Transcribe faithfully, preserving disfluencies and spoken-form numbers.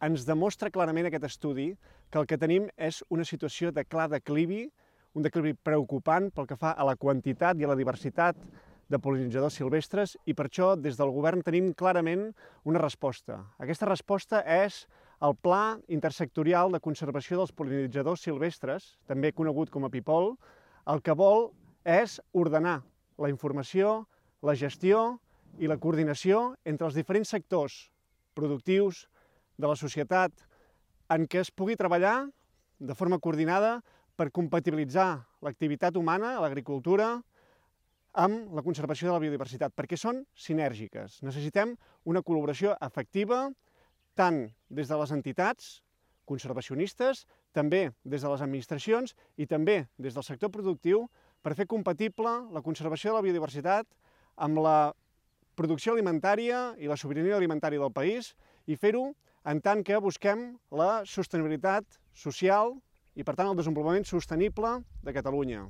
ens demostra clarament aquest estudi que el que tenim és una situació de clar declivi, un declivi preocupant pel que fa a la quantitat i a la diversitat de pol·linitzadors silvestres, i per això des del govern tenim clarament una resposta. Aquesta resposta és el Pla Intersectorial de Conservació dels Pol·linitzadors Silvestres, també conegut com a PIPOL. El que vol és ordenar la informació, la gestió i la coordinació entre els diferents sectors productius de la societat en què es pugui treballar de forma coordinada per compatibilitzar l'activitat humana, l'agricultura, amb la conservació de la biodiversitat, perquè són sinèrgiques. Necessitem una col·laboració efectiva tant des de les entitats conservacionistes, també des de les administracions i també des del sector productiu per fer compatible la conservació de la biodiversitat amb la producció alimentària i la sobirania alimentària del país i fer-ho en tant que busquem la sostenibilitat social i, per tant, el desenvolupament sostenible de Catalunya.